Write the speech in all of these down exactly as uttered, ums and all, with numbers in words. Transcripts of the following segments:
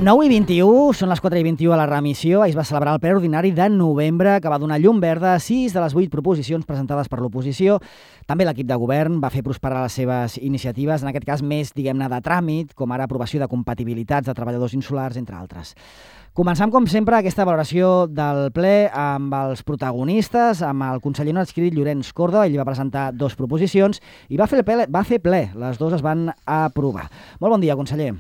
nou i vint-i-u, són les quatre i vint-i-u a la remissió. Ahir es va celebrar el ple ordinari de novembre, que va donar llum verda a sis de les vuit proposicions presentades per l'oposició. També l'equip de govern va fer prosperar les seves iniciatives, en aquest cas més, diguem-ne, de tràmit, com ara aprovació de compatibilitats de treballadors insulars, entre altres. Començam, com sempre, aquesta valoració del ple amb els protagonistes, amb el conseller no adscrit Llorenç Córdoba. Ell va presentar dues proposicions i va fer ple, va fer ple. Les dues es van aprovar. Molt bon dia, conseller.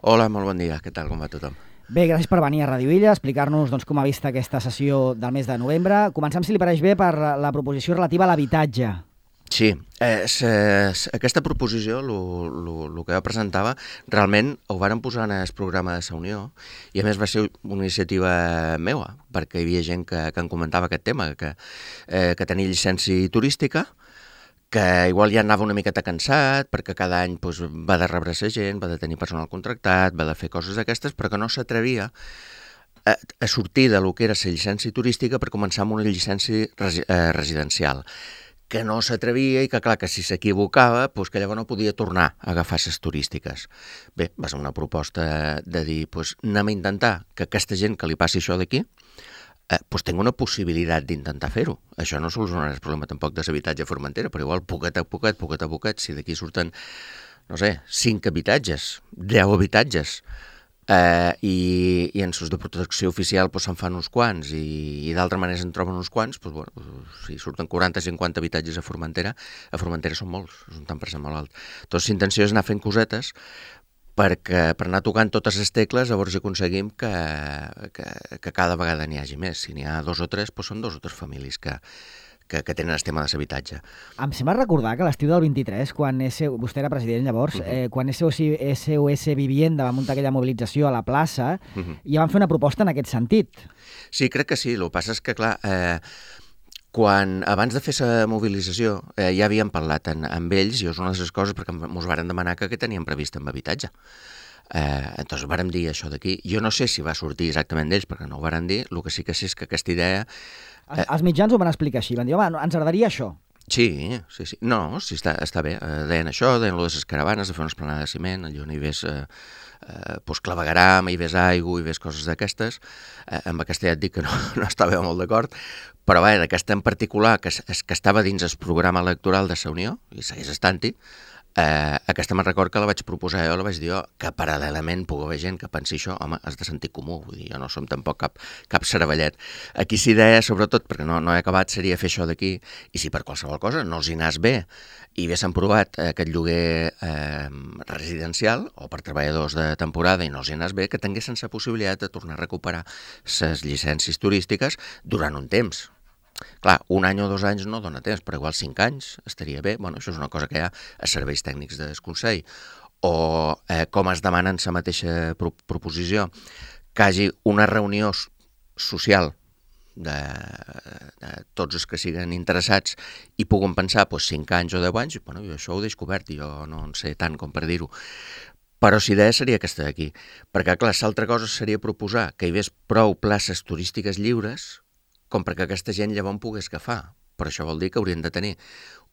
Hola, molt bon dia. Què tal? Com va tothom? Bé, gràcies per venir a Ràdio Illa, explicar-nos doncs, com ha vist aquesta sessió del mes de novembre. Començam, si li pareix bé, per la proposició relativa a l'habitatge. Sí, eh, aquesta proposició, el que jo presentava, realment ho varen posar en el programa de Sa Unió i a més va ser una iniciativa meva, perquè hi havia gent que, que em comentava aquest tema, que, eh, que tenia llicència turística, que igual ja anava una miqueta cansat, perquè cada any doncs, va de rebre sa gent, va de tenir personal contractat, va de fer coses d'aquestes, però que no s'atrevia a, a sortir de lo que era la llicència turística per començar amb una llicència resi, eh, residencial, que no s'atrevia i que, clar, que si s'equivocava, doncs que llavors no podia tornar a agafar les turístiques. Bé, va ser una proposta de dir, doncs anem a intentar que aquesta gent que li passi això d'aquí, eh, doncs tingui una possibilitat d'intentar fer-ho. Això no solucionarà el problema tampoc de l'habitatge a Formentera, però igual poquet a poquet, poquet a poquet, si d'aquí surten, no sé, cinc habitatges, deu habitatges, Uh, i, i en sus de protecció oficial pues, se'n fan uns quants i, i d'altra manera se'n troben uns quants, pues, bueno, pues, si surten quaranta o cinquanta habitatges a Formentera, a Formentera són molts, és un tant per cent molt alt. Doncs l'intenció és anar fent cosetes perquè per anar tocant totes les tecles llavors aconseguim que, que, que cada vegada n'hi hagi més. Si n'hi ha dos o tres, pues, són dos o tres famílies que Que, que tenen el tema de l'habitatge. Em sembla recordar que l'estiu del vint-i-tres, quan S... vostè era president llavors, uh -huh. eh, quan S O S Vivienda va muntar aquella mobilització a la plaça, uh -huh. ja van fer una proposta en aquest sentit. Sí, crec que sí. El que passa és que, clar, eh, quan, abans de fer la mobilització eh, ja havíem parlat en, amb ells, i és una de les coses perquè ens varen demanar que, que teníem previst amb habitatge. Eh, doncs vàrem dir això d'aquí. Jo no sé si va sortir exactament d'ells, perquè no ho varen dir. El que sí que sé és que aquesta idea... Els, els mitjans ho van explicar així, van dir, home, ens agradaria això. Sí, sí, sí. No, sí, està, està bé. Eh, deien això, deien lo de les caravanes, de fer una esplanada de ciment, allò on hi ves eh, eh, pues, clavegaram, hi ves aigua, hi ves coses d'aquestes. Eh, amb aquesta ja et dic que no, no estava molt d'acord, però bé, aquesta en particular, que, que estava dins el programa electoral de Sa Unió, i segueix estant-hi, Eh, aquesta me'n record que la vaig proposar jo, la vaig dir jo, que paral·lelament pugui haver gent que pensi això, home, has de sentir comú, vull dir, jo no som tampoc cap, cap cervellet. Aquí sí deia, sobretot, perquè no, no he acabat, seria fer això d'aquí, i si per qualsevol cosa no els hi anàs bé, i haguessin provat eh, aquest lloguer eh, residencial, o per treballadors de temporada, i no els hi anàs bé, que tinguessin la possibilitat de tornar a recuperar les llicències turístiques durant un temps. Clar, un any o dos anys no dona temps, però igual cinc anys estaria bé. Bueno, això és una cosa que hi ha a serveis tècnics del Consell. O eh, com es demana en la mateixa pro proposició, que hi hagi una reunió social de, de tots els que siguin interessats i puguin pensar pues, cinc anys o deu anys, bueno, jo això ho he descobert, jo no en sé tant com per dir-ho. Però si idea seria aquesta d'aquí. Perquè, clar, l'altra cosa seria proposar que hi hagués prou places turístiques lliures com perquè aquesta gent llavors pogués agafar. Però això vol dir que haurien de tenir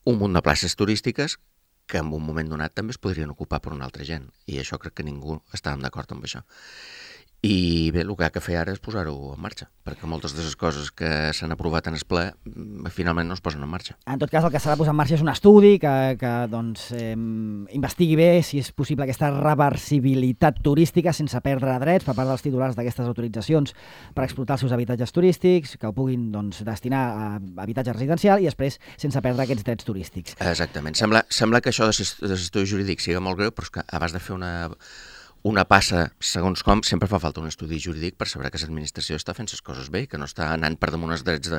un munt de places turístiques que en un moment donat també es podrien ocupar per una altra gent. I això crec que ningú estàvem d'acord amb això. I bé, el que ha de fer ara és posar-ho en marxa, perquè moltes de les coses que s'han aprovat en el ple finalment no es posen en marxa. En tot cas, el que s'ha de posar en marxa és un estudi que, que doncs, eh, investigui bé si és possible aquesta reversibilitat turística sense perdre drets per part dels titulars d'aquestes autoritzacions per explotar els seus habitatges turístics, que ho puguin doncs, destinar a habitatge residencial i després sense perdre aquests drets turístics. Exactament. Sembla, sembla que això de l'estudi jurídic siga molt greu, però és que abans de fer una... una passa, segons com, sempre fa falta un estudi jurídic per saber que l'administració està fent les coses bé i que no està anant per damunt els drets de,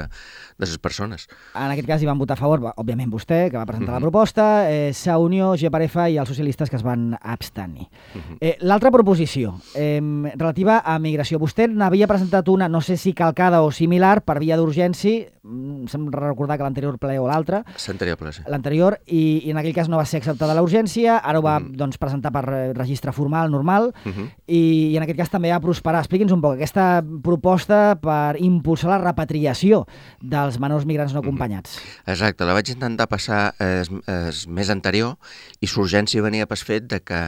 de les persones. En aquest cas hi van votar a favor, òbviament vostè, que va presentar uh-huh. la proposta, eh, Sa Unió, G per F i els socialistes que es van abstenir. Uh-huh. eh, L'altra proposició, eh, relativa a migració. Vostè n'havia presentat una, no sé si calcada o similar, per via d'urgència, se'm recordar que l'anterior ple o l'altre. L'anterior ple, sí. L'anterior, i, i en aquell cas no va ser acceptada la urgència, ara ho va uh-huh. doncs, presentar per registre formal, normal, normal, uh-huh. i, i en aquest cas també a prosperar. Expliqui'ns un poc aquesta proposta per impulsar la repatriació dels menors migrants no acompanyats. Uh-huh. Exacte, la vaig intentar passar es, es mes anterior i l'urgència venia pel fet de que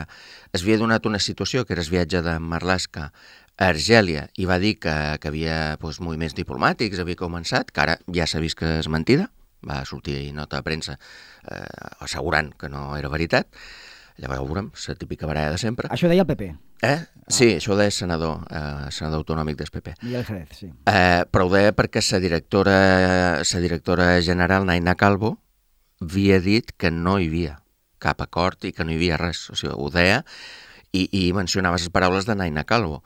es havia donat una situació, que era el viatge de Marlaska a Argèlia, i va dir que, que havia doncs, moviments diplomàtics, havia començat, que ara ja s'ha vist que és mentida, va sortir nota de premsa eh, assegurant que no era veritat. Llavors veurem, la típica baralla de sempre. Això deia el P P. Eh? Sí, ah. això ho deia el senador, eh, senador autonòmic del P P. Miguel Jerez, sí. Eh, però ho deia perquè la directora, la directora general, Naina Calvo, havia dit que no hi havia cap acord i que no hi havia res. O sigui, ho deia i, i mencionava les paraules de Naina Calvo.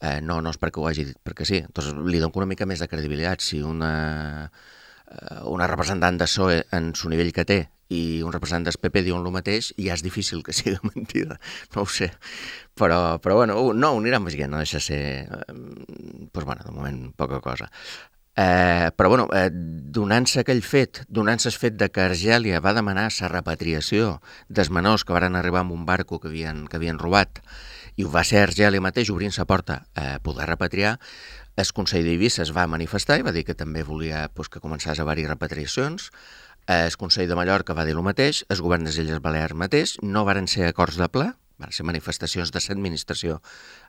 Eh, no, no és perquè ho hagi dit, perquè sí. Entonces, li dono una mica més de credibilitat. Si una, una representant de P S O E en el nivell que té i un representant del P P diuen el mateix, ja és difícil que sigui mentida. No ho sé. Però, però bueno, no, ho anirem veient, no deixa ser... Eh, doncs, bueno, de moment, poca cosa. Eh, però, bueno, eh, donant-se aquell fet, donant-se el fet de que Argèlia va demanar la repatriació dels menors que van arribar amb un barco que havien, que havien robat, i ho va ser Argèlia mateix obrint la porta a poder repatriar, el Consell d'Eivissa es va manifestar i va dir que també volia doncs, que començés a haver-hi repatriacions. El Consell de Mallorca va dir el mateix, el govern de les Illes Balears mateix, no varen ser acords de ple, van ser manifestacions de l'administració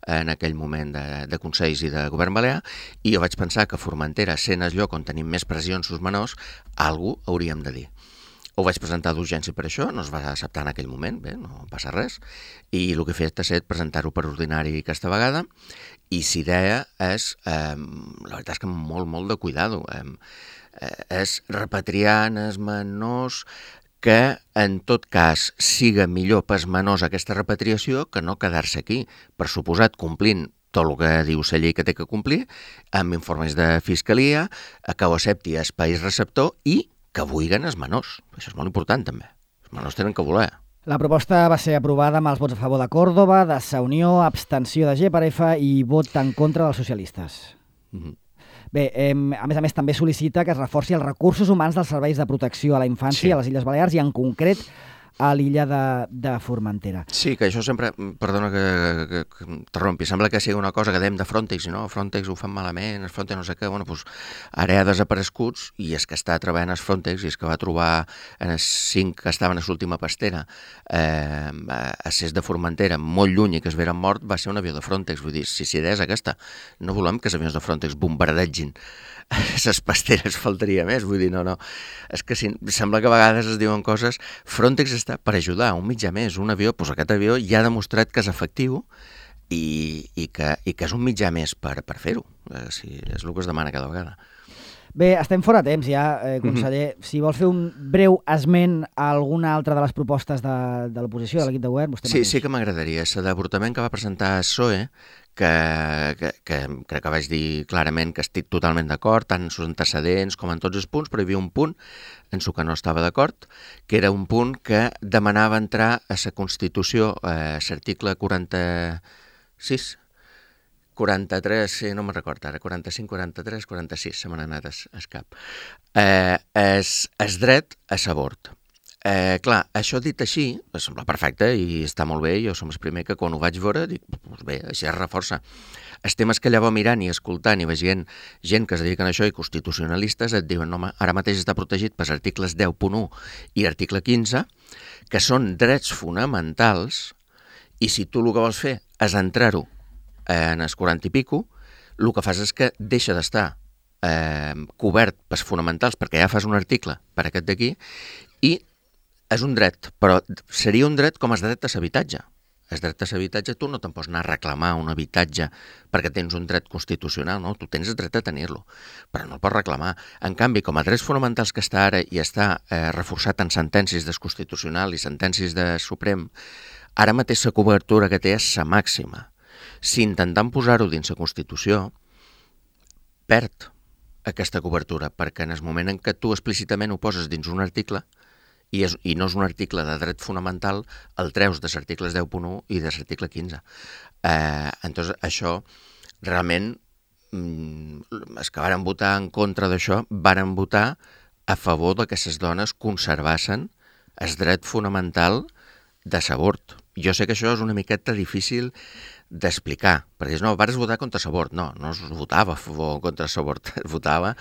en aquell moment de, de Consells i de govern balear, i jo vaig pensar que Formentera, sent el lloc on tenim més pressions sus menors, alguna cosa hauríem de dir. Ho vaig presentar d'urgència per això, no es va acceptar en aquell moment, bé, no passa res, i el que he fet ha estat presentar-ho per ordinari aquesta vegada, i la idea és, eh, la veritat és que molt, molt de cuidado, eh, és repatriar els menors que en tot cas siga millor pels menors aquesta repatriació que no quedar-se aquí, per suposat complint tot el que diu la llei que té que complir, amb informes de fiscalia, que ho accepti el país receptor i que vulguin els menors. Això és molt important, també. Els menors tenen que voler. La proposta va ser aprovada amb els vots a favor de Còrdova, de Sa Unió, abstenció de G per F i vot en contra dels socialistes. Mm-hmm. Bé, eh, a més a més també sol·licita que es reforci els recursos humans dels serveis de protecció a la infància sí. a les Illes Balears i en concret a l'illa de, de Formentera. Sí, que això sempre, perdona que, que, que interrompi, sembla que sigui una cosa que dèiem de Frontex, i no, Frontex ho fan malament, el Frontex no sé què, bueno, doncs ara ha desapareguts i és que està treballant el Frontex i és que va trobar en els cinc que estaven a l'última pastera eh, a Ses de Formentera, molt lluny i que es veren mort, va ser un avió de Frontex, vull dir, si si idea és aquesta, no volem que els avions de Frontex bombardegin les pasteres, faltaria més, vull dir, no, no, és que si, sembla que a vegades es diuen coses, Frontex està per ajudar, un mitjà més, un avió, doncs aquest avió ja ha demostrat que és efectiu i, i, que, i que és un mitjà més per, per fer-ho, eh, si és el que es demana cada vegada. Bé, estem fora temps ja, eh, conseller. Mm-hmm. Si vols fer un breu esment a alguna altra de les propostes de, de l'oposició, de l'equip de govern, vostè Sí, mateix. sí que m'agradaria. El d'avortament que va presentar el P S O E, que, que, que crec que vaig dir clarament que estic totalment d'acord, tant en els antecedents com en tots els punts, però hi havia un punt en el que no estava d'acord, que era un punt que demanava entrar a la Constitució, eh, l'article quaranta-sis, quaranta-tres, sí, no me'n recordo ara, quaranta-cinc, quaranta-tres, quaranta-sis, se m'han anat al cap. Eh, és, és dret a l'avort. Eh, clar, això dit així, em sembla perfecte i està molt bé, jo som el primer que quan ho vaig veure dic, doncs bé, això es reforça. Els temes que llavors mirant i escoltant i veient gent que es dediquen a això i constitucionalistes et diuen, no, ara mateix està protegit pels articles deu punt u i article quinze, que són drets fonamentals i si tu el que vols fer és entrar-ho en els quaranta i pico, el que fas és que deixa d'estar eh, cobert pels fonamentals perquè ja fas un article per aquest d'aquí i és un dret, però seria un dret com el dret a l'habitatge. El dret a l'habitatge tu no te'n pots anar a reclamar un habitatge perquè tens un dret constitucional, no? Tu tens el dret a tenir-lo, però no el pots reclamar. En canvi, com a drets fonamentals que està ara i està eh, reforçat en sentències del Constitucional i sentències del Suprem, ara mateix la cobertura que té és la màxima. Si intentant posar-ho dins la Constitució, perd aquesta cobertura, perquè en el moment en què tu explícitament ho poses dins un article, i, és, i no és un article de dret fonamental, el treus dels articles deu punt u i de l'article quinze. Eh, entonces, això realment, els que varen votar en contra d'això, varen votar a favor de que les dones conservassin el dret fonamental de l'avort. Jo sé que això és una miqueta difícil d'explicar, perquè no, vares votar contra Sabort. No, no es votava a favor contra Sabort, es votava...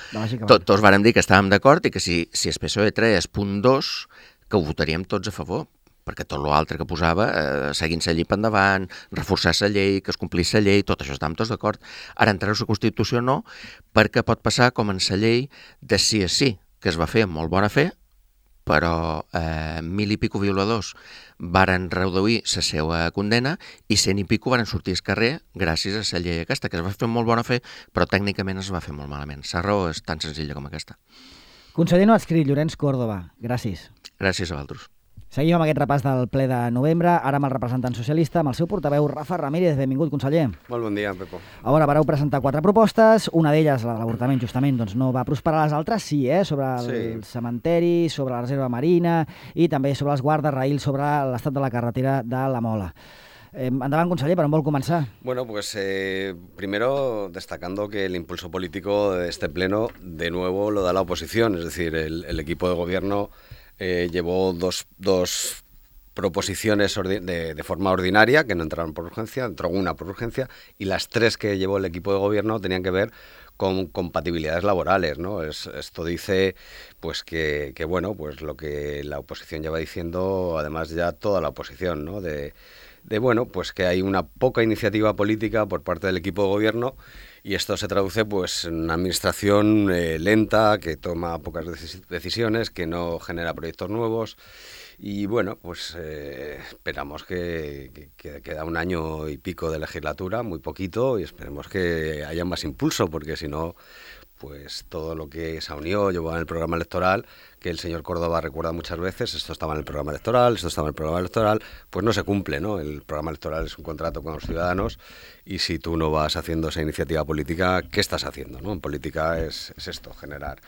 Tot, tots vàrem dir que estàvem d'acord i que si, si el P S O E treia punt dos, que ho votaríem tots a favor, perquè tot l'altre que posava, eh, seguint la llei per endavant, reforçar la llei, que es complís la llei, tot això estàvem tots d'acord. Ara, entrar a la Constitució no, perquè pot passar com en la llei de sí a sí, que es va fer amb molt bona fe, però eh, mil i pico violadors varen reduir la seva condena i cent i pico varen sortir al carrer gràcies a la llei aquesta, que es va fer amb molt bona fe, però tècnicament es va fer molt malament. La raó és tan senzilla com aquesta. Conseller no adscrit, Llorenç Córdoba, gràcies. Gràcies a vosaltres. Seguim amb aquest repàs del ple de novembre, ara amb el representant socialista, amb el seu portaveu, Rafa Ramírez. Benvingut, conseller. Molt bon dia, Pepo. A veure, vareu presentar quatre propostes, una d'elles, la de l'avortament, justament, doncs no va prosperar, les altres sí, eh? Sobre el sí. cementeri, sobre la reserva marina i també sobre els guardarraïls, sobre l'estat de la carretera de la Mola. Eh, endavant, conseller, ¿per on vol començar? Bueno, pues eh, primero destacando que el impulso político de este pleno de nuevo lo da la oposición, es decir, el, el equipo de gobierno Eh, llevó dos, dos proposiciones de, de forma ordinaria, que no entraron por urgencia, entró una por urgencia, y las tres que llevó el equipo de gobierno tenían que ver con compatibilidades laborales, ¿no? Es, esto dice pues que, que, bueno, pues lo que la oposición lleva diciendo, además ya toda la oposición, ¿no? De, de bueno, pues que hay una poca iniciativa política por parte del equipo de gobierno. Y esto se traduce pues, en una administración eh, lenta, que toma pocas decisiones, que no genera proyectos nuevos. Y bueno, pues eh, esperamos que, que, que queda un año y pico de legislatura, muy poquito, y esperemos que haya más impulso, porque si no, pues todo lo que se unió, llevó en el programa electoral, que el señor Córdoba recuerda muchas veces, esto estaba en el programa electoral, esto estaba en el programa electoral, pues no se cumple, ¿no? El programa electoral es un contrato con los ciudadanos y si tú no vas haciendo esa iniciativa política, ¿qué estás haciendo, no? En política es, es esto, generar.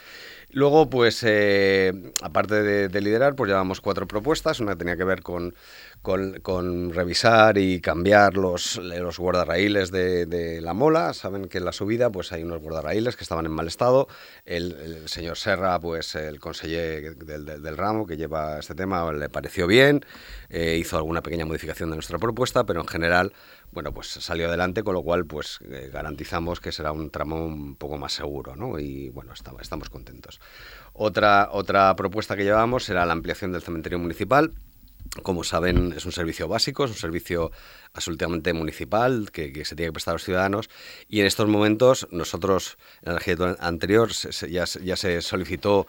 Luego, pues, eh, aparte de, de liderar, pues llevamos cuatro propuestas, una que tenía que ver con, con, con revisar y cambiar los, los guardarraíles de, de la Mola. Saben que en la subida pues hay unos guardarraíles que estaban en mal estado. El, el señor Serra, pues el conseller del, del, del ramo que lleva este tema, le pareció bien, eh, hizo alguna pequeña modificación de nuestra propuesta, pero en general, bueno, pues salió adelante, con lo cual pues eh, garantizamos que será un tramo un poco más seguro, ¿no? Y bueno, estamos, estamos contentos. Otra, otra propuesta que llevamos era la ampliación del cementerio municipal. Como saben, es un servicio básico, es un servicio absolutamente municipal que, que se tiene que prestar a los ciudadanos, y en estos momentos nosotros, en la legislatura anterior, se, se, ya, ya se solicitó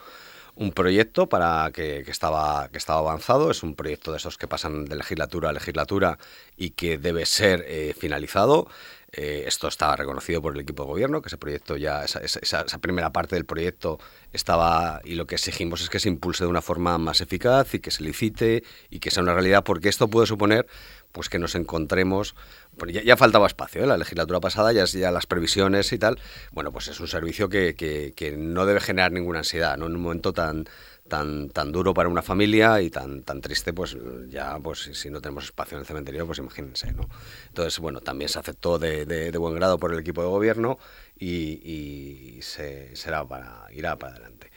un proyecto para que, que, estaba, que estaba avanzado. Es un proyecto de esos que pasan de legislatura a legislatura y que debe ser eh, finalizado. Eh, esto estaba reconocido por el equipo de gobierno, que ese proyecto ya, esa, esa, esa primera parte del proyecto estaba, y lo que exigimos es que se impulse de una forma más eficaz y que se licite y que sea una realidad, porque esto puede suponer pues que nos encontremos, bueno, ya, ya faltaba espacio, ¿eh? La legislatura pasada, ya, ya las previsiones y tal, bueno, pues es un servicio que, que, que no debe generar ninguna ansiedad, ¿no? En un momento tan tan tan duro para una familia y tan tan triste, pues ya pues si, si no tenemos espacio en el cementerio, pues imagínense, ¿no? Entonces, bueno, también se aceptó de, de, de buen grado por el equipo de gobierno y, y se, será para, irá para adelante.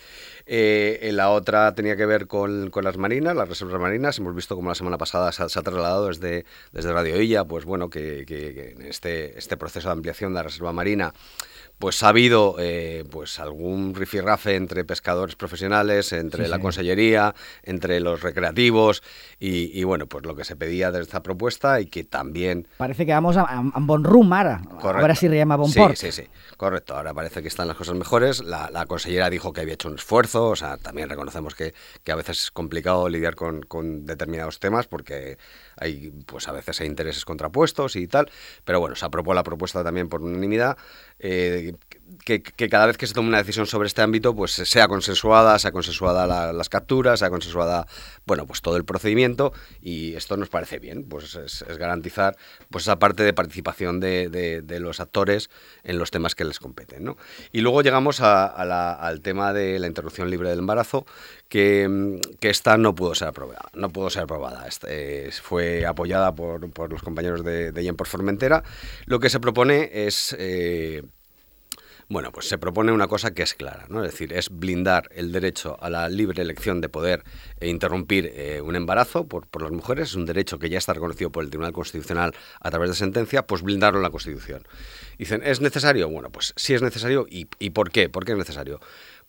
Eh, la otra tenía que ver con, con las marinas, las reservas marinas. Hemos visto como la semana pasada se ha, se ha trasladado desde, desde Radio Illa, pues bueno, que, que, que en este, este proceso de ampliación de la reserva marina pues ha habido eh, pues algún rifirrafe entre pescadores profesionales, entre sí, la sí. Consellería, entre los recreativos y, y bueno, pues lo que se pedía de esta propuesta y que también... Parece que vamos a, a, a bon rumb ara, correcto. A veure si riem a bon sí, port. Sí, sí, correcto, ahora parece que están las cosas mejores. La, la consellera dijo que había hecho un esfuerzo, o sea, también reconocemos que, que a veces es complicado lidiar con, con determinados temas porque hay, pues a veces hay intereses contrapuestos y tal, pero bueno, se aprobó la propuesta también por unanimidad. Eh, que, que cada vez que se tome una decisión sobre este ámbito, pues sea consensuada, sea consensuada la, las capturas, sea consensuada, bueno, pues todo el procedimiento, y esto nos parece bien, pues es, es garantizar pues esa parte de participación de, de, de los actores en los temas que les competen, ¿no? Y luego llegamos a, a la, al tema de la interrupción libre del embarazo, que, que esta no pudo ser aprobada, no pudo ser aprobada, este, eh, fue apoyada por, por los compañeros de, de Yen por Formentera. Lo que se propone es... Eh, Bueno, pues se propone una cosa que es clara, ¿no? Es decir, es blindar el derecho a la libre elección de poder eh, interrumpir eh, un embarazo por, por las mujeres. Es un derecho que ya está reconocido por el Tribunal Constitucional a través de sentencia, pues blindarlo en la Constitución. Dicen, ¿es necesario? Bueno, pues sí es necesario. ¿Y, y por qué? ¿Por qué es necesario?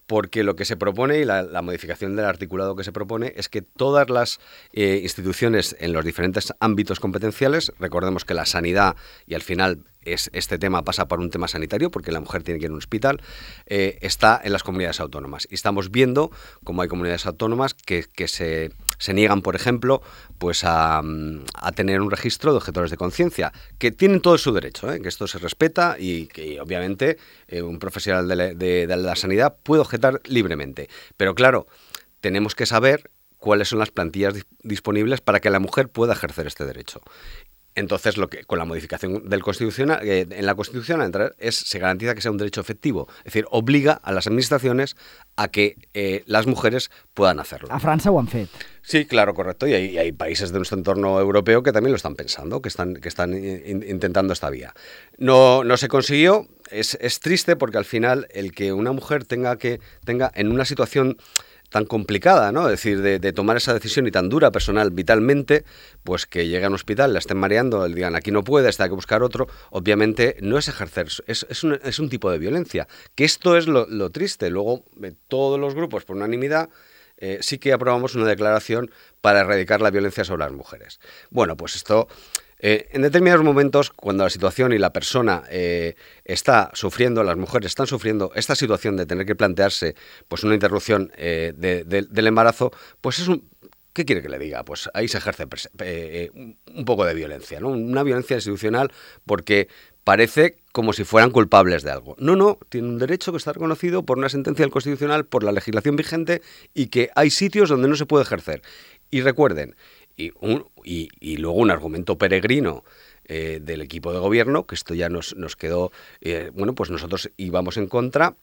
Porque lo que se propone y la, la modificación del articulado que se propone es que todas las eh, instituciones en los diferentes ámbitos competenciales, recordemos que la sanidad y al final es, este tema pasa por un tema sanitario porque la mujer tiene que ir a un hospital, eh, está en las comunidades autónomas. Y estamos viendo cómo hay comunidades autónomas que, que se, se niegan, por ejemplo, pues a, a tener un registro de objetores de conciencia, que tienen todo su derecho, ¿eh? Que esto se respeta y que obviamente eh, un profesional de la, de, de la sanidad puede objetar libremente. Pero claro, tenemos que saber cuáles son las plantillas disponibles para que la mujer pueda ejercer este derecho. Entonces, lo que con la modificación del constitucional, eh, en la Constitución a entrar es se garantiza que sea un derecho efectivo, es decir, obliga a las administraciones a que eh, las mujeres puedan hacerlo. A França ho han fet. Sí, claro, correcto. Y hay, y hay países de nuestro entorno europeo que también lo están pensando, que están, que están in, intentando esta vía. No, no se consiguió. Es, es triste porque al final el que una mujer tenga que tenga en una situación tan complicada, ¿no? Es decir, de, de tomar esa decisión y tan dura personal, vitalmente, pues que llegue a un hospital, la estén mareando, le digan aquí no puede, está hay que buscar otro, obviamente no es ejercer, es, es, un, es un tipo de violencia, que esto es lo, lo triste. Luego, eh, todos los grupos, por unanimidad, eh, sí que aprobamos una declaración para erradicar la violencia sobre las mujeres. Bueno, pues esto... Eh, en determinados momentos, cuando la situación y la persona eh, está sufriendo, las mujeres están sufriendo esta situación de tener que plantearse pues una interrupción eh, de, de, del embarazo, pues es un... ¿Qué quiere que le diga? Pues ahí se ejerce eh, un poco de violencia, ¿no? Una violencia institucional porque parece como si fueran culpables de algo. No, no, tiene un derecho que está reconocido por una sentencia del Constitucional, por la legislación vigente y que hay sitios donde no se puede ejercer. Y recuerden, y, un, y, y luego un argumento peregrino eh, del equipo de gobierno, que esto ya nos, nos quedó, eh, bueno, pues nosotros íbamos en contra,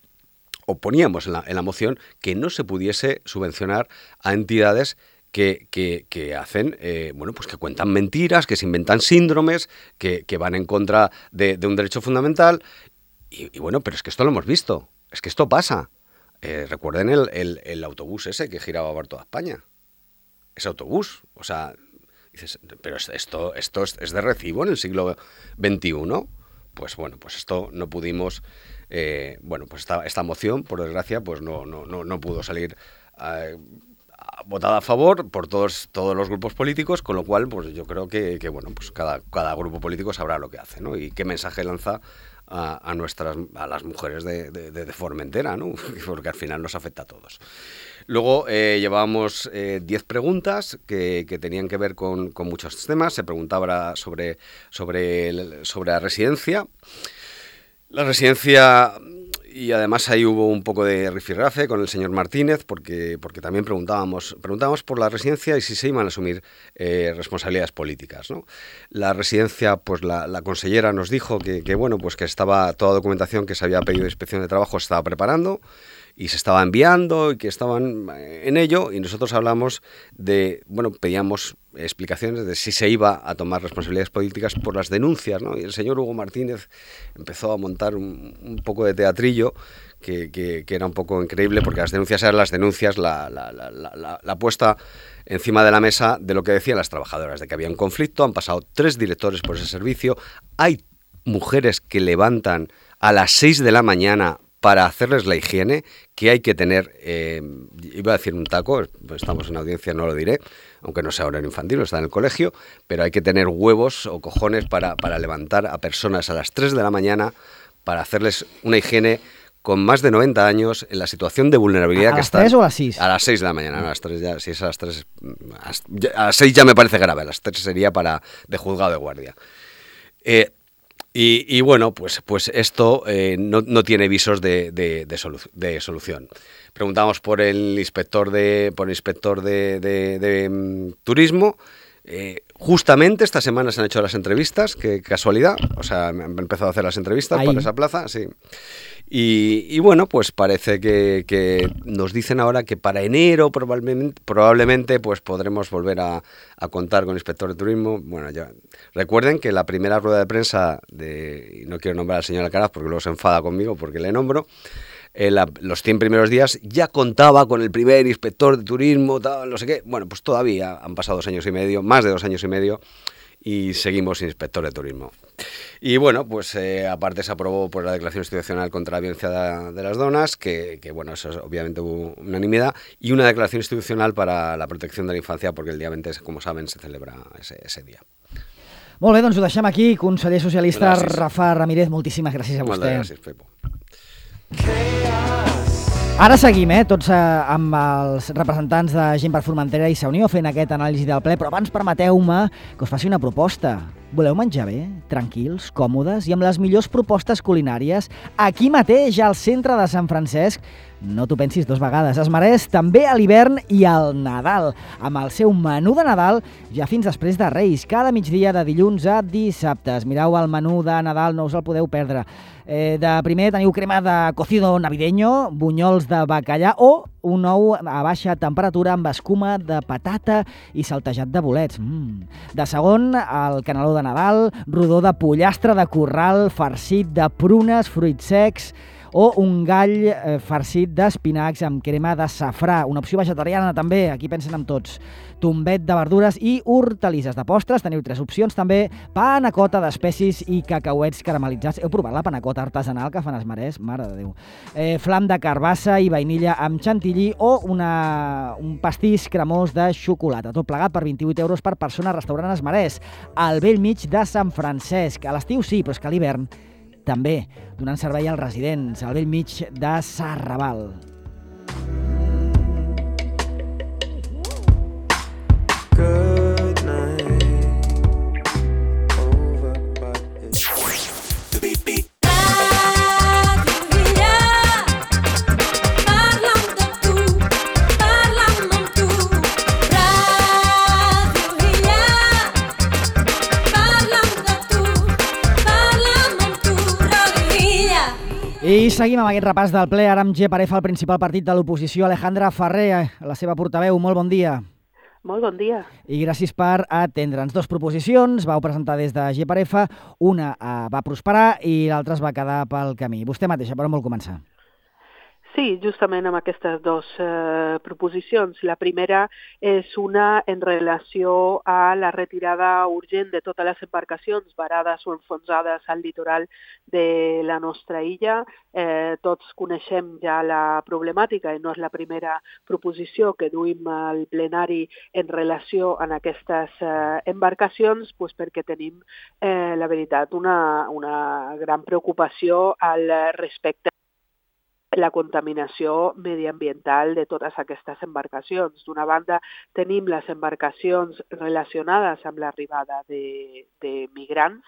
o poníamos en la, en la moción que no se pudiese subvencionar a entidades que, que, que hacen, eh, bueno, pues que cuentan mentiras, que se inventan síndromes, que, que van en contra de, de un derecho fundamental. Y, y bueno, pero es que esto lo hemos visto, es que esto pasa. Eh, recuerden el, el, el autobús ese que giraba por toda España. Ese autobús, o sea, dices, pero esto, esto es, es de recibo en el siglo veintiuno. Pues bueno, pues esto no pudimos, eh, bueno, pues esta, esta moción, por desgracia, pues no, no, no, no pudo salir eh, votada a favor por todos, todos los grupos políticos, con lo cual, pues yo creo que, que bueno, pues cada, cada grupo político sabrá lo que hace, ¿no? Y qué mensaje lanza a, a nuestras, a las mujeres de, de, de Formentera, ¿no? Porque al final nos afecta a todos. Luego eh, llevábamos diez eh, preguntas que, que tenían que ver con, con muchos temas. Se preguntaba sobre, sobre, el, sobre la residencia. La residencia, y además ahí hubo un poco de rifirrafe con el señor Martínez, porque, porque también preguntábamos, preguntábamos por la residencia y si se iban a asumir eh, responsabilidades políticas, ¿no? La residencia, pues la, la consellera nos dijo que, que, bueno, pues que estaba toda documentación que se había pedido de inspección de trabajo se estaba preparando, y se estaba enviando y que estaban en ello, y nosotros hablamos de, bueno, pedíamos explicaciones de si se iba a tomar responsabilidades políticas por las denuncias, ¿no? Y el señor Hugo Martínez empezó a montar un, un poco de teatrillo que, que, que era un poco increíble, porque las denuncias eran las denuncias, la, la, la, la, la puesta encima de la mesa de lo que decían las trabajadoras, de que había un conflicto, han pasado tres directores por ese servicio, hay mujeres que levantan a las seis de la mañana para hacerles la higiene, que hay que tener, eh, iba a decir un taco, pues estamos en audiencia, no lo diré, aunque no sea horario infantil, está en el colegio, pero hay que tener huevos o cojones para, para levantar a personas a las tres de la mañana para hacerles una higiene con más de noventa años en la situación de vulnerabilidad ¿A que están. ¿A las tres o a las seis? A las seis de la mañana, no, a las tres ya, si es a las tres, a las seis ya me parece grave, a las tres sería para de juzgado de guardia. Eh, Y, y bueno, pues, pues esto eh, no, no tiene visos de, de, de, solu de solución. Preguntamos por el inspector de, por el inspector de, de, de um, turismo, Eh, justamente esta semana se han hecho las entrevistas, qué casualidad, o sea, han empezado a hacer las entrevistas Ahí. para esa plaza, sí. Y, y bueno, pues parece que, que nos dicen ahora que para enero probablemente, probablemente pues podremos volver a, a contar con inspector de turismo. Bueno, ya recuerden que la primera rueda de prensa, de, y no quiero nombrar al señor Alcaraz porque luego se enfada conmigo porque le nombro, eh, la, los cien primeros días ya contaba con el primer inspector de turismo, tal, no sé qué. Bueno, pues todavía han pasado dos años y medio, más de dos años y medio, y seguimos sin inspector de turismo. Y bueno, pues eh, aparte se aprobó pues, la declaración institucional contra la violencia de, de las donas, que, que bueno, eso es obviamente hubo unanimidad, y una declaración institucional para la protección de la infancia, porque el día veinte, como saben, se celebra ese, ese dia. Molt bé, doncs ho deixem aquí. Conseller socialista gràcies. Rafa Ramírez, moltíssimes gràcies a vostè. Moltes gràcies, Pepo. Ara seguim, eh, tots eh, amb els representants de Gent per Formentera i Sa Unió fent aquest anàlisi del ple, però abans permeteu-me que us faci una proposta. Voleu menjar bé, tranquils, còmodes i amb les millors propostes culinàries? Aquí mateix, al centre de Sant Francesc, no t'ho pensis dos vegades, es mereix també a l'hivern i al Nadal, amb el seu menú de Nadal ja fins després de Reis, cada migdia de dilluns a dissabtes. Mireu el menú de Nadal, no us el podeu perdre. Eh, de primer teniu crema de cocido navideño, bunyols de bacallà o un ou a baixa temperatura amb escuma de patata i saltejat de bolets. Mm. De segon, el caneló de Nadal, rodó de pollastre de corral, farcit de prunes, fruits secs o un gall eh, farcit d'espinacs amb crema de safrà. Una opció vegetariana també, aquí pensen en tots. Tombet de verdures i hortalisses. De postres teniu tres opcions també, panacota d'espècies i cacauets caramelitzats. Heu provat la panacota artesanal que fan els Marès? Mare de Déu. Eh, flam de carbassa i vainilla amb chantilly o una, un pastís cremós de xocolata. Tot plegat per vint-i-vuit euros per persona, restaurant Els Marès, al vell mig de Sant Francesc. A l'estiu sí, però és que a l'hivern també, donant servei als residents, al vell mig de Sarraval. Good night, over by it. Parla'm de tu, parla'm amb tu. Ràdio Illa, parla'm de tu, parla'm amb tu. Ràdio Illa. I seguim amb aquest repàs del ple, ara amb G. Parefa, el principal partit de l'oposició, Alejandra Ferrer, la seva portaveu. Molt bon dia. Molt bon dia. I gràcies per atendre'ns. Dos proposicions vau presentar des de G. Parefa, una eh, va prosperar i l'altra es va quedar pel camí. Vostè mateixa, per on vol començar? Sí, justament amb aquestes dues eh, proposicions. La primera és una en relació a la retirada urgent de totes les embarcacions varades o enfonsades al litoral de la nostra illa. Eh, tots coneixem ja la problemàtica i no és la primera proposició que duim al plenari en relació a aquestes eh, embarcacions, pues perquè tenim, eh, la veritat, una, una gran preocupació al respecte la contaminació mediambiental de totes aquestes embarcacions. D'una banda, tenim les embarcacions relacionades amb l'arribada de, de migrants,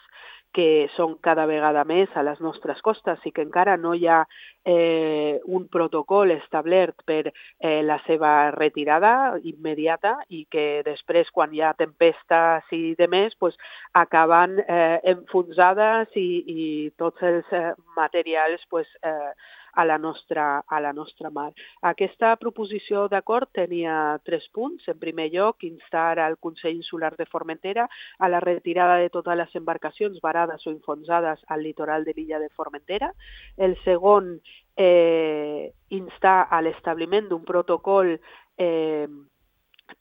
que són cada vegada més a les nostres costes i que encara no hi ha eh, un protocol establert per eh, la seva retirada immediata i que després, quan hi ha tempestes i demés, pues, acaben eh, enfonsades i, i tots els eh, materials pues, eh, a la nostra, a la nostra mar. Aquesta proposició d'acord tenia tres punts. En primer lloc, instar al Consell Insular de Formentera a la retirada de totes les embarcacions varades o enfonsades al litoral de l'illa de Formentera. El segon, eh, instar a l'establiment d'un protocol eh,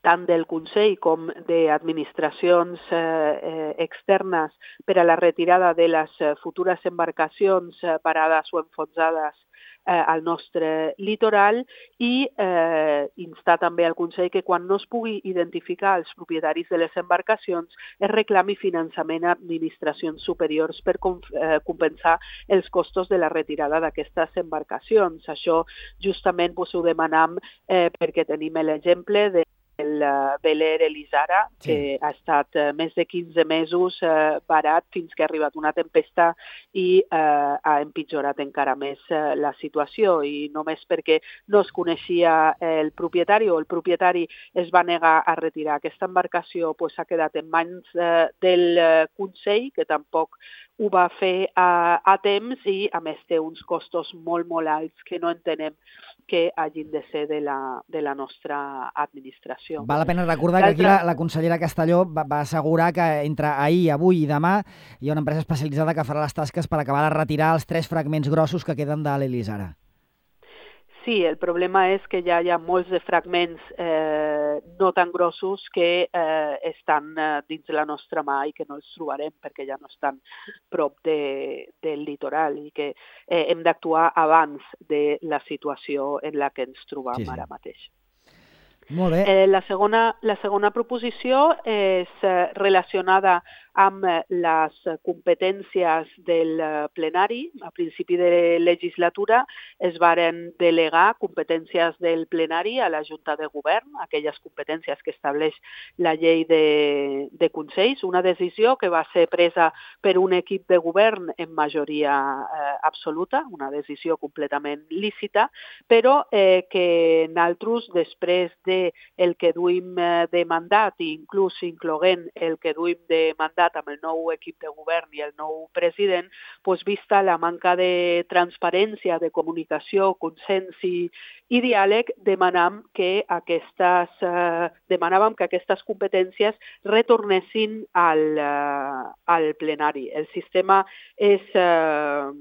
tant del Consell com d'administracions eh, eh, externes per a la retirada de les futures embarcacions eh, parades o enfonsades eh, al nostre litoral i eh, instar també al Consell que quan no es pugui identificar els propietaris de les embarcacions es reclami finançament a administracions superiors per com, eh, compensar els costos de la retirada d'aquestes embarcacions. Això justament pues, ho demanam eh, perquè tenim l'exemple de del uh, Beler Elisara, Sí. que ha estat uh, més de quinze mesos uh, barat fins que ha arribat una tempesta i uh, ha empitjorat encara més uh, la situació, i només perquè no es coneixia el propietari o el propietari es va negar a retirar aquesta embarcació, pues, ha quedat en mans uh, del uh, Consell, que tampoc ho va fer a, a temps, i a més té uns costos molt, molt alts que no entenem que hagin de ser de la, de la nostra administració. Val la pena recordar que aquí la, la consellera Castelló va, va assegurar que entre ahir, avui i demà hi ha una empresa especialitzada que farà les tasques per acabar de retirar els tres fragments grossos que queden de l'Elisara. Sí, el problema és que ja hi ha molts de fragments eh, no tan grossos que eh, estan eh, dins la nostra mà i que no els trobarem perquè ja no estan prop de, del litoral, i que eh, hem d'actuar abans de la situació en la que ens trobam Sí, sí. ara mateix. Molt bé. Eh, la, segona, la segona proposició és eh, relacionada amb eh, les competències del eh, plenari. A principi de legislatura es varen delegar competències del plenari a la Junta de Govern, aquelles competències que estableix la llei de, de Consells, una decisió que va ser presa per un equip de govern en majoria eh, absoluta, una decisió completament lícita, però eh, que nosaltres, després de el que duim eh, de mandat, i inclús incloent el que duim de mandat amb el nou equip de govern i el nou president, doncs, vista la manca de transparència, de comunicació, consens i, i diàleg, demanam que aquestes, eh, demanàvem que aquestes competències retornessin al, eh, al plenari. El sistema és eh,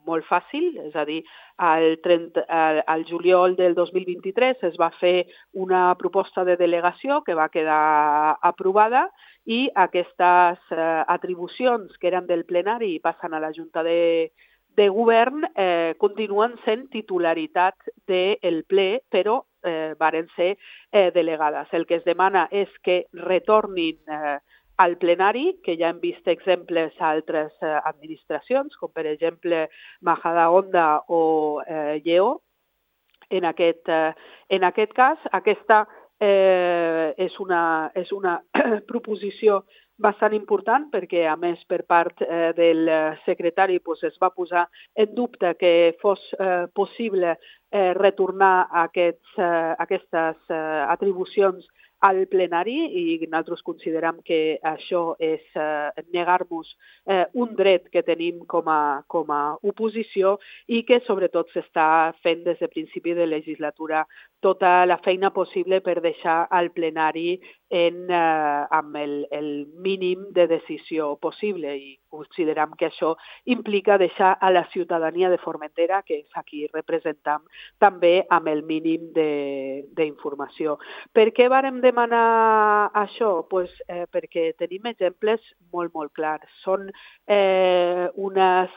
molt fàcil, és a dir, al, trenta, al, al juliol del dos mil vint-i-tres es va fer una proposta de delegació que va quedar aprovada, i aquestes eh, atribucions que eren del plenari i passen a la Junta de, de Govern eh, continuen sent titularitat del ple, però eh, varen ser eh, delegades. El que es demana és que retornin eh, al plenari, que ja hem vist exemples a altres eh, administracions, com per exemple Majadahonda o eh, Lleó. En aquest, eh, en aquest cas, aquesta eh, és una, és una proposició bastant important, perquè a més per part eh, del secretari pues, es va posar en dubte que fos eh, possible eh, retornar aquests, eh, aquestes eh, atribucions al plenari, i nosaltres considerem que això és eh, negar-nos eh, un dret que tenim com a, com a oposició, i que sobretot s'està fent des de principi de legislatura tota la feina possible per deixar al plenari en, eh, amb el, el mínim de decisió possible, i considerem que això implica deixar a la ciutadania de Formentera, que és a qui representam, també amb el mínim d'informació. Per què vàrem demanar això? Pues, eh, perquè tenim exemples molt, molt clars. Són eh, unes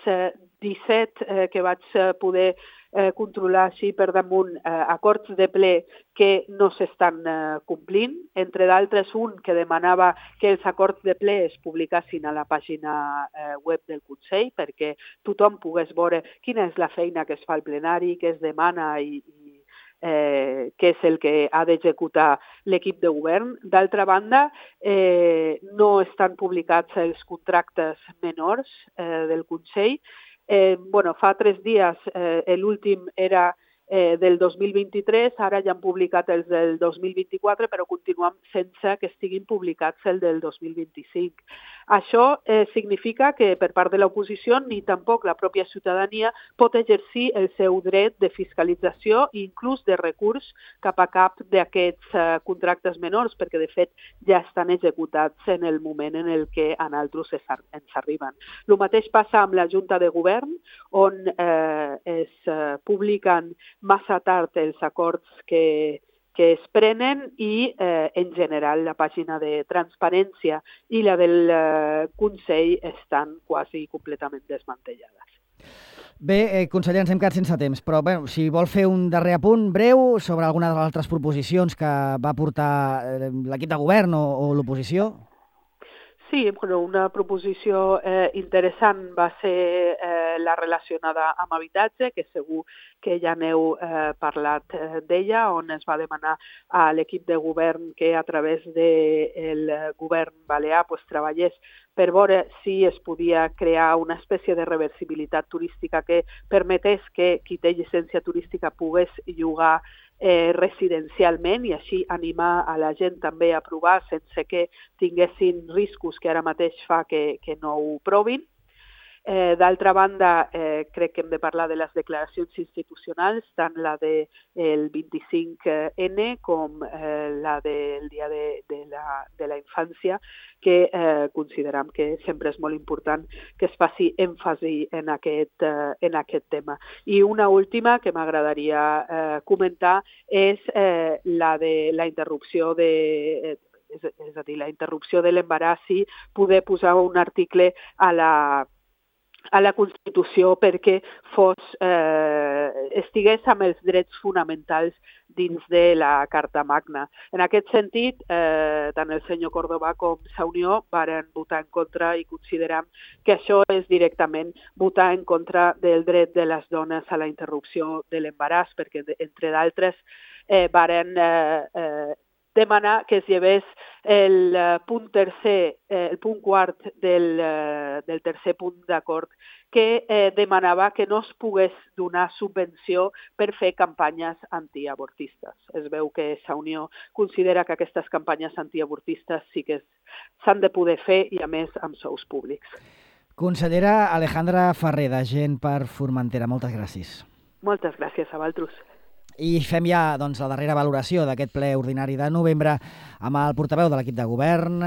disset eh, que vaig poder eh, controlar així per damunt eh, acords de ple que no s'estan eh, complint, entre d'altres un que demanava que els acords de ple es publicassin a la pàgina eh, web del Consell perquè tothom pogués veure quina és la feina que es fa al plenari, què es demana i, i eh, què és el que ha d'executar l'equip de govern. D'altra banda, eh, no estan publicats els contractes menors eh, del Consell. Eh, bueno, fa tres dies eh, l'últim era eh, del dos mil vint-i-tres, ara ja han publicat els del dos mil vint-i-quatre, però continuem sense que estiguin publicats el del dos mil vint-i-cinc. Això eh, significa que per part de l'oposició ni tampoc la pròpia ciutadania pot exercir el seu dret de fiscalització i inclús de recurs cap a cap d'aquests eh, contractes menors, perquè de fet ja estan executats en el moment en el que a nosaltres ens arriben. El mateix passa amb la Junta de Govern, on eh, es eh, publiquen massa tard els acords que que es prenen i, eh, en general, la pàgina de transparència i la del eh, Consell estan quasi completament desmantellades. Bé, eh, conseller, ens hem quedat sense temps, però bé, si vol fer un darrer apunt breu sobre alguna de les altres proposicions que va portar eh, l'equip de govern o, o l'oposició. Sí, bueno, una proposició eh, interessant va ser eh, la relacionada amb habitatge, que segur que ja n'heu eh, parlat eh, d'ella, on es va demanar a l'equip de govern que a través del de govern balear pues, treballés per veure si es podia crear una espècie de reversibilitat turística que permetés que qui té llicència turística pogués llogar eh, residencialment i així animar a la gent també a provar sense que tinguessin riscos que ara mateix fa que, que no ho provin. Eh, D'altra banda, eh, crec que hem de parlar de les declaracions institucionals, tant la del de, vint-i-cinc ene com eh, la del Dia de, de, la, de la Infància, que eh, considerem que sempre és molt important que es faci èmfasi en aquest, eh, en aquest tema. I una última que m'agradaria eh, comentar és eh, la de la interrupció de... Eh, és, és a dir, la interrupció de l'embaràs i poder posar un article a la a la Constitució perquè fos, eh, estigués amb els drets fonamentals dins de la Carta Magna. En aquest sentit, eh, tant el senyor Córdoba com Sa Unió varen votar en contra i considerem que això és directament votar en contra del dret de les dones a la interrupció de l'embaràs, perquè, entre d'altres, eh, varen eh, eh, demanar que es llevés el punt tercer, el punt quart del, del tercer punt d'acord que eh, demanava que no es pogués donar subvenció per fer campanyes antiavortistes. Es veu que Sa Unió considera que aquestes campanyes antiavortistes sí que s'han de poder fer i a més amb sous públics. Consellera Alejandra Ferrer, d'Agent per Formentera, moltes gràcies. Moltes gràcies a vosaltres. I fem ja doncs, la darrera valoració d'aquest ple ordinari de novembre amb el portaveu de l'equip de govern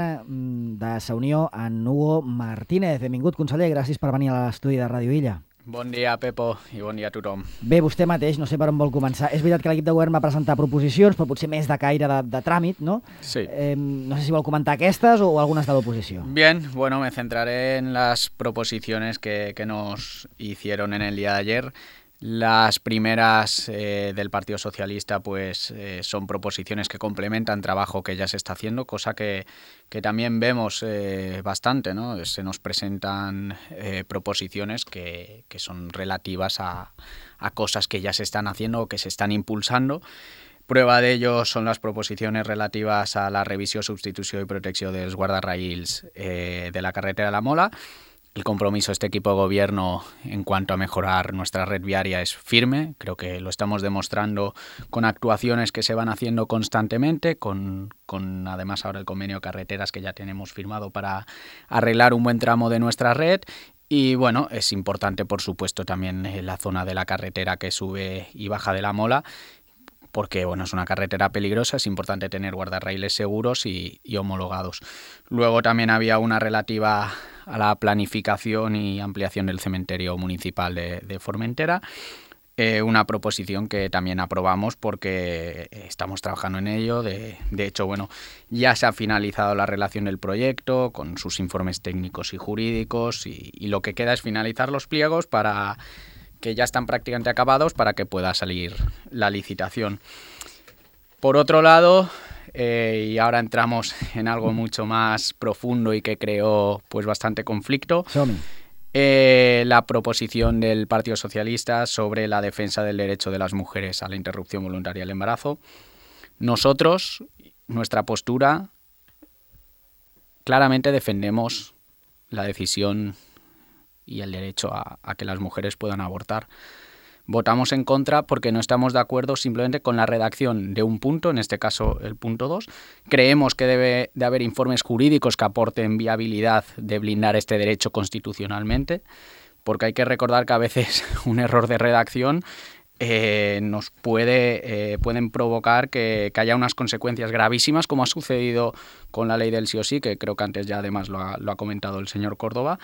de Sa Unió, en Hugo Martínez. Benvingut, conseller, gràcies per venir a l'estudi de Ràdio Illa. Bon dia, Pepo, i bon dia a tothom. Bé, vostè mateix, no sé per on vol començar. És veritat que l'equip de govern va presentar proposicions, però potser més de caire de, de tràmit, ¿no? Sí. Eh, no sé si vol comentar aquestes o algunes de l'oposició. Bien, bueno, me centraré en las proposiciones que, que nos hicieron en el día de ayer. Las primeras eh, del Partido Socialista pues eh, son proposiciones que complementan trabajo que ya se está haciendo, cosa que, que también vemos eh, bastante, ¿no? Se nos presentan eh, proposiciones que, que son relativas a, a cosas que ya se están haciendo o que se están impulsando. Prueba de ello son las proposiciones relativas a la revisió, substitució i protecció dels guardarraïls eh, de la carretera de la Mola. El compromiso de este equipo de gobierno en cuanto a mejorar nuestra red viaria es firme. Creo que lo estamos demostrando con actuaciones que se van haciendo constantemente, con, con además ahora el convenio de carreteras que ya tenemos firmado para arreglar un buen tramo de nuestra red. Y bueno, es importante por supuesto también la zona de la carretera que sube y baja de la Mola, porque bueno, es una carretera peligrosa, es importante tener guardarraíles seguros y, y homologados. Luego también había una relativa a la planificación y ampliación del cementerio municipal de, de Formentera, eh, una proposición que también aprobamos porque estamos trabajando en ello. De, de hecho, bueno, ya se ha finalizado la redacción del proyecto con sus informes técnicos y jurídicos y, y lo que queda es finalizar los pliegos para... que ya están prácticamente acabados para que pueda salir la licitación. Por otro lado, eh, y ahora entramos en algo mucho más profundo y que creó pues bastante conflicto, eh, la proposición del Partido Socialista sobre la defensa del derecho de las mujeres a la interrupción voluntaria del embarazo. Nosotros, nuestra postura, claramente defendemos la decisión y el derecho a, a que las mujeres puedan abortar. Votamos en contra porque no estamos de acuerdo simplemente con la redacción de un punto, en este caso el punto dos. Creemos que debe de haber informes jurídicos que aporten viabilidad de blindar este derecho constitucionalmente, porque hay que recordar que a veces un error de redacción eh, nos puede eh, pueden provocar que, que haya unas consecuencias gravísimas, como ha sucedido con la ley del sí o sí, que creo que antes ya además lo ha, lo ha comentado el señor Córdoba.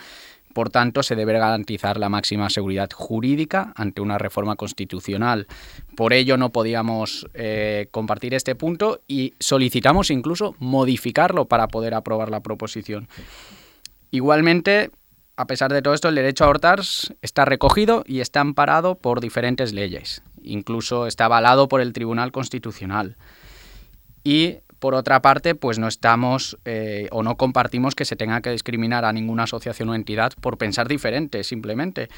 Por tanto, se debe garantizar la máxima seguridad jurídica ante una reforma constitucional. Por ello no podíamos eh, compartir este punto y solicitamos incluso modificarlo para poder aprobar la proposición. Igualmente, a pesar de todo esto, el derecho a abortar está recogido y está amparado por diferentes leyes. Incluso está avalado por el Tribunal Constitucional. Y por otra parte, pues no estamos eh, o no compartimos que se tenga que discriminar a ninguna asociación o entidad por pensar diferente, simplemente,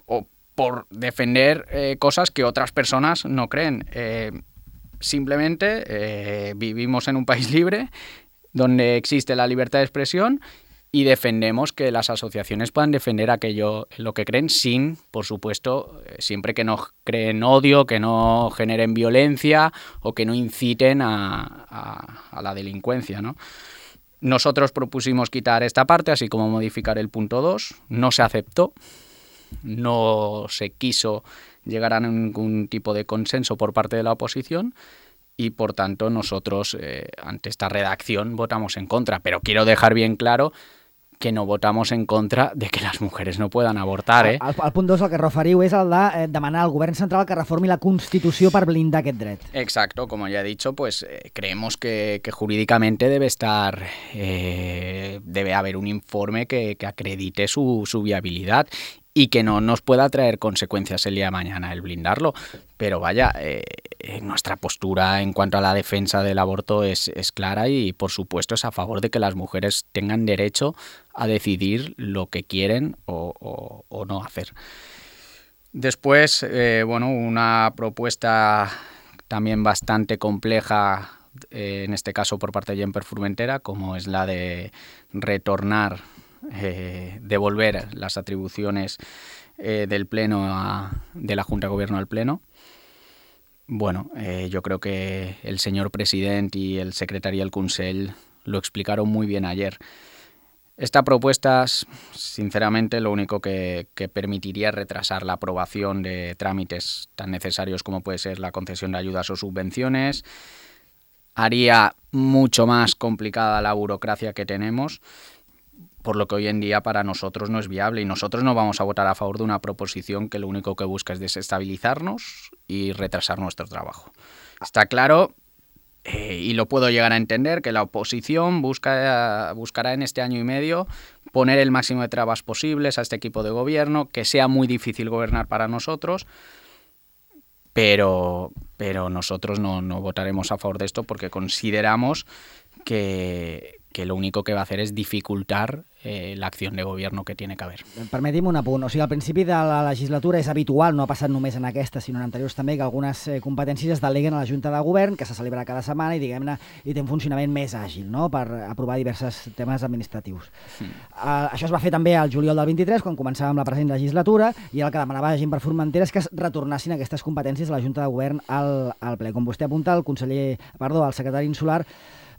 o por defender eh, cosas que otras personas no creen. Eh, simplemente eh, vivimos en un país libre donde existe la libertad de expresión y defendemos que las asociaciones puedan defender aquello en lo que creen sin, por supuesto, siempre que no creen odio, que no generen violencia o que no inciten a, a, a la delincuencia, ¿no? Nosotros propusimos quitar esta parte, así como modificar el punto dos. No se aceptó, no se quiso llegar a ningún tipo de consenso por parte de la oposición. Y, por tanto, nosotros, eh, ante esta redacción, votamos en contra. Pero quiero dejar bien claro que no votamos en contra de que las mujeres no puedan avortar, eh? El, el punt dos, el que referiu, és el de eh, demanar al govern central que reformi la Constitució per blindar aquest dret. Exacto, como ya he dicho, pues eh, creemos que, que jurídicamente debe estar, eh, debe haber un informe que, que acredite su, su viabilidad y que no nos pueda traer consecuencias el día de mañana el blindarlo. Pero vaya, eh, nuestra postura en cuanto a la defensa del aborto es, es clara y, por supuesto, es a favor de que las mujeres tengan derecho a decidir lo que quieren o, o, o no hacer. Después, eh, bueno, una propuesta también bastante compleja, eh, en este caso por parte de Gemper Formentera, como es la de retornar, eh, devolver las atribuciones eh, del Pleno a, de la Junta de Gobierno al Pleno. Bueno, eh, yo creo que el señor presidente y el secretari del Consell lo explicaron muy bien ayer. Esta propuesta, sinceramente, lo único que, que permitiría es retrasar la aprobación de trámites tan necesarios como puede ser la concesión de ayudas o subvenciones, haría mucho más complicada la burocracia que tenemos, por lo que hoy en día para nosotros no es viable y nosotros no vamos a votar a favor de una proposición que lo único que busca es desestabilizarnos y retrasar nuestro trabajo. Está claro, eh, y lo puedo llegar a entender, que la oposición busca, buscará en este año y medio poner el máximo de trabas posibles a este equipo de gobierno, que sea muy difícil gobernar para nosotros, pero, pero nosotros no, no votaremos a favor de esto porque consideramos que, que lo único que va a hacer és dificultar eh, l'acció de govern que tiene que haver. Permeti'm un apunt. O sigui, al principi de la legislatura és habitual, no ha passat només en aquesta, sinó en anteriors també, que algunes eh, competències es deleguen a la Junta de Govern, que se celebra cada setmana i, diguem-ne, i té un funcionament més àgil, no?, per aprovar diversos temes administratius. Mm. Uh, això es va fer també al juliol del vint-i-tres, quan començàvem la present legislatura, i el que demanava Gemper Formentera és que es retornassin aquestes competències de la Junta de Govern al, al ple. Com vostè apunta, el conseller, perdó, el secretari insular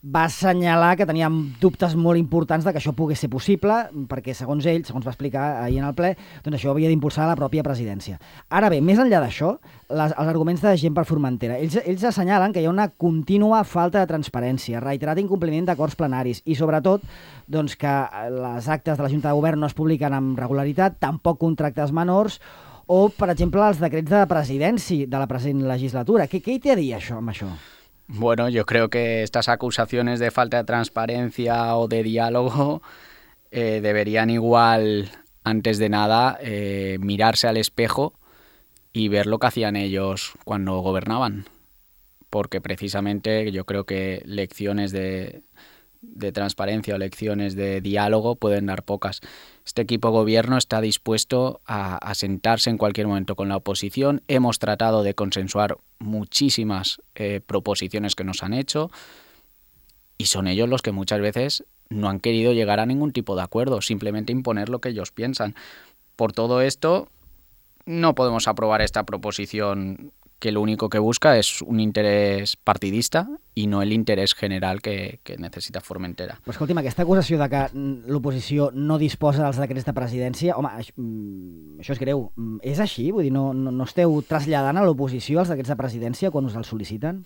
va assenyalar que teníem dubtes molt importants de que això pogués ser possible, perquè, segons ell, segons va explicar ahir en el ple, doncs això havia d'impulsar la pròpia presidència. Ara bé, més enllà d'això, les, els arguments de Gemper Formentera, ells, ells assenyalen que hi ha una contínua falta de transparència, reiterat incompliment d'acords plenaris i, sobretot, doncs, que les actes de la Junta de Govern no es publiquen amb regularitat, tampoc contractes menors, o, per exemple, els decrets de presidència de la present legislatura. Què, què hi té a dir això amb això? Bueno, yo creo que estas acusaciones de falta de transparencia o de diálogo eh, deberían igual, antes de nada, eh, mirarse al espejo y ver lo que hacían ellos cuando gobernaban. Porque precisamente yo creo que lecciones de, de transparencia o lecciones de diálogo pueden dar pocas. Este equipo de gobierno está dispuesto a, a sentarse en cualquier momento con la oposición. Hemos tratado de consensuar muchísimas eh, proposiciones que nos han hecho y son ellos los que muchas veces no han querido llegar a ningún tipo de acuerdo, simplemente imponer lo que ellos piensan. Por todo esto, no podemos aprobar esta proposición que lo único que busca es un interés partidista i no l'interès general que, que necessita Formentera. Però escolti'm, aquesta acusació de que l'oposició no disposa dels decrets de presidència, home, això, això és greu. És així? Vull dir, no, no, no esteu traslladant a l'oposició els decrets de presidència quan us els sol·liciten?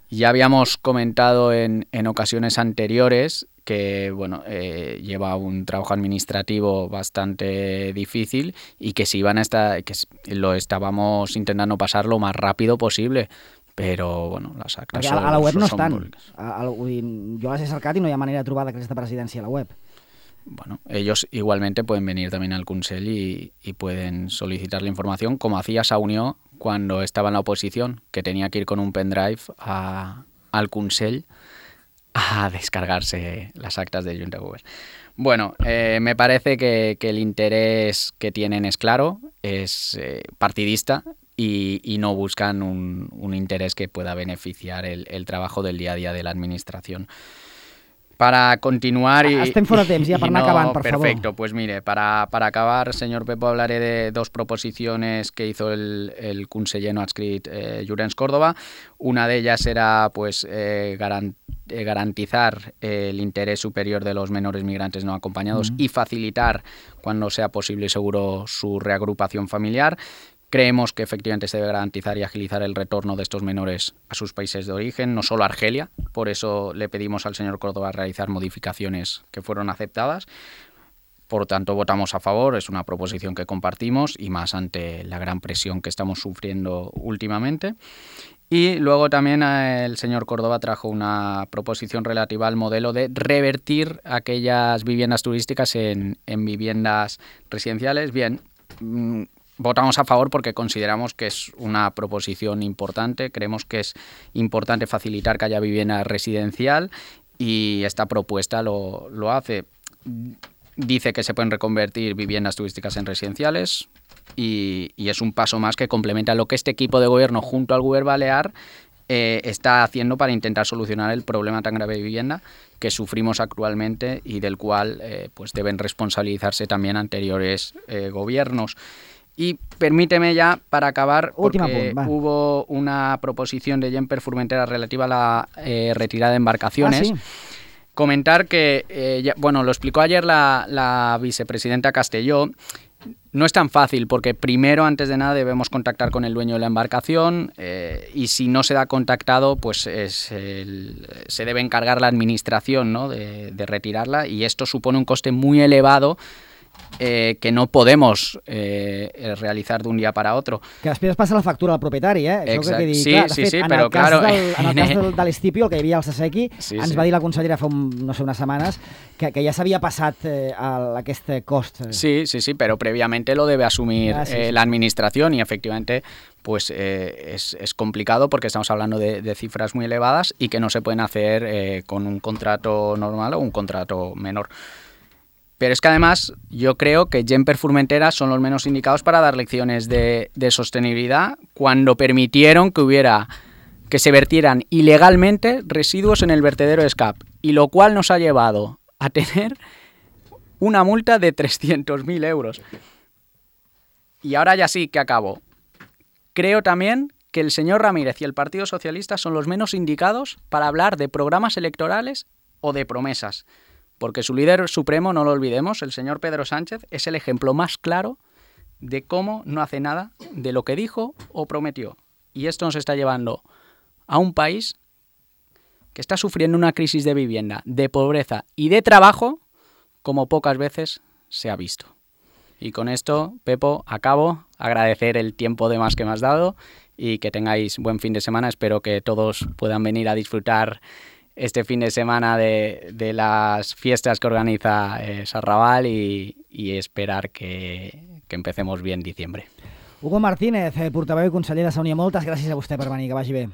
Ya habíamos comentado en, en ocasiones anteriores que bueno, eh, lleva un trabajo administrativo bastante difícil y que si iban a estar, que lo estábamos intentando pasar lo más rápido posible, pero bueno, las actas Perquè son, a la web no son estan. públicas. A, a, vull dir, jo les he cercat i no hi ha manera de trobar decrets de presidència a la web. Bueno, ellos igualmente pueden venir también al Consell y, y pueden solicitar la información, como hacía Saunió cuando estaba en la oposición, que tenía que ir con un pendrive a, al Consell a descargarse las actas de Junta de Govern. Bueno, eh, me parece que, que el interés que tienen es claro, es eh, partidista y, y no buscan un, un interés que pueda beneficiar el, el trabajo del día a día de la administración. Para continuar y... Estem fora de temps, ja, per anar acabant, per favor. Perfecto, pues mire, para, para acabar, señor Pepo, hablaré de dos proposiciones que hizo el, el conseller no adscrit eh, Llorenç Córdoba. Una de ellas era pues eh, garan, eh, garantizar eh, el interés superior de los menores migrantes no acompañados mm. y facilitar, cuando sea posible y seguro, su reagrupación familiar. Creemos que efectivamente se debe garantizar y agilizar el retorno de estos menores a sus países de origen, no solo a Argelia. Por eso le pedimos al señor Córdoba realizar modificaciones que fueron aceptadas. Por tanto, votamos a favor. Es una proposición que compartimos y más ante la gran presión que estamos sufriendo últimamente. Y luego también el señor Córdoba trajo una proposición relativa al modelo de revertir aquellas viviendas turísticas en, en viviendas residenciales. Bien, mmm, votamos a favor porque consideramos que es una proposición importante, creemos que es importante facilitar que haya vivienda residencial y esta propuesta lo, lo hace. Dice que se pueden reconvertir viviendas turísticas en residenciales y, y es un paso más que complementa lo que este equipo de gobierno junto al Govern Balear eh, está haciendo para intentar solucionar el problema tan grave de vivienda que sufrimos actualmente y del cual eh, pues deben responsabilizarse también anteriores eh, gobiernos. Y permíteme ya, para acabar, porque punt, hubo una proposición de Gemper Formentera relativa a la eh, retirada de embarcaciones. Ah, sí. Comentar que, eh, ya, bueno, lo explicó ayer la, la vicepresidenta Castelló, no es tan fácil porque primero, antes de nada, debemos contactar con el dueño de la embarcación eh, y si no se da contactado, pues es el, se debe encargar la administración, ¿no?, de, de retirarla y esto supone un coste muy elevado Eh, que no podemos eh, realitzar d'un dia per a otro. Que després passa la factura al propietari, eh? Això Exacte. que dir, sí, clar, de sí, fet, sí, en però el cas claro... del, en el cas del, de l'Estipio, el que hi havia al Sasequi, sí, ens sí. va dir la consellera fa, un, no sé, unes setmanes que, que ja s'havia passat eh, a aquest cost. Sí, sí, sí, pero previamente lo debe asumir ah, sí, eh, sí. la administración y efectivamente pues eh, es, es complicado porque estamos hablando de, de cifras muy elevadas y que no se pueden hacer eh, con un contrato normal o un contrato menor. Pero es que además yo creo que Gemper Formentera son los menos indicados para dar lecciones de, de sostenibilidad cuando permitieron que hubiera que se vertieran ilegalmente residuos en el vertedero de Escap, y lo cual nos ha llevado a tener una multa de trescientos mil euros. Y ahora ya sí que acabo. Creo también que el señor Ramírez y el Partido Socialista son los menos indicados para hablar de programas electorales o de promesas. Porque su líder supremo, no lo olvidemos, el señor Pedro Sánchez, es el ejemplo más claro de cómo no hace nada de lo que dijo o prometió. Y esto nos está llevando a un país que está sufriendo una crisis de vivienda, de pobreza y de trabajo como pocas veces se ha visto. Y con esto, Pepo, acabo. Agradecer el tiempo de más que me has dado y que tengáis buen fin de semana. Espero que todos puedan venir a disfrutar este fin de semana de, de las fiestas que organiza eh, Sarrabal y, y esperar que, que empecemos bien diciembre. Hugo Martínez, eh, portaveu i conseller de Saunià, moltes gràcies a vostè per venir, que vagi bé.